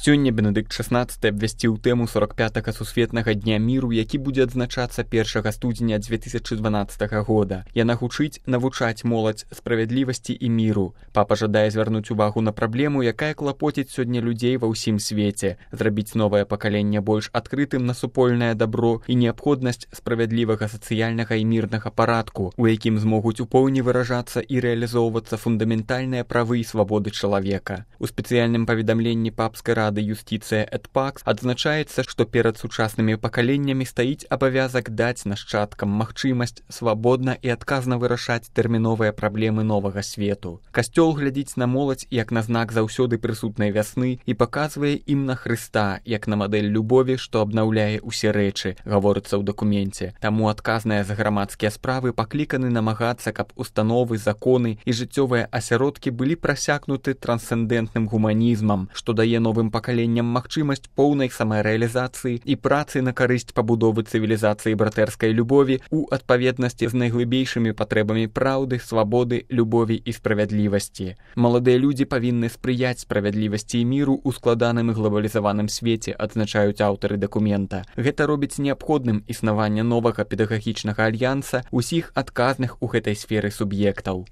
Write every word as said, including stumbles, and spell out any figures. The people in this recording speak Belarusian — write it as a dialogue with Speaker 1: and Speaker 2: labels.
Speaker 1: Сёння Бенедыкт шаснаццаты абвясціў тэму сорок пятага сусветнага дня міру, які будзе адзначацца першага студзеня дзве тысячы дванаццатага года. Яна гучыць навучаць моладзь справядлівасці і міру. Папа жадае звярнуць увагу на праблему, якая клапоціць сёння людзей ва ўсім свеце, зрабіць новае пакаленне больш адкрытым на супольнае дабро і неабходнасць справядлівага сацыяльнага і мірнага парадку, у якім змогуць у поўні выражацца і рэалізоўвацца фундаментальныя правы і свабоды чалавека. У спецыяльным паведамленні папскай рады юстыцыя эт пакс адзначаецца, што перад сучаснымі пакаленнямі стаіць абавязак даць нашчадкам магчымасць свабодна і адказна вырашаць тэрміновыя праблемы новага свету. Касцёл глядзіць на моладзь як на знак заўсёды прысутнай вясны і паказвае ім на Хрыста як на мадэль любові, што абнаўляе ўсе рэчы, гаворыцца ў дакуменце. Таму адказныя за грамадскія справы пакліканы намагацца, каб установы, законы і жыццёвыя асяродкі былі прасякнуты трансцэндэнтным гуманізмам, што дае новым пакаленням магчымасць поўнай самарэалізацыі і працы на карысць пабудовы цывілізацыі братэрскай любові ў адпаведнасці з найглыбейшымі патрэбамі праўды, свабоды, любові і справядлівасці. Маладыя людзі павінны спрыяць справядлівасці і міру ў складаным і глабалізаваным свеце, адзначаюць аўтары дакумента. Гэта робіць неабходным існаванне новага педагагічнага альянса усіх адказных у гэтай сферы суб'ектаў.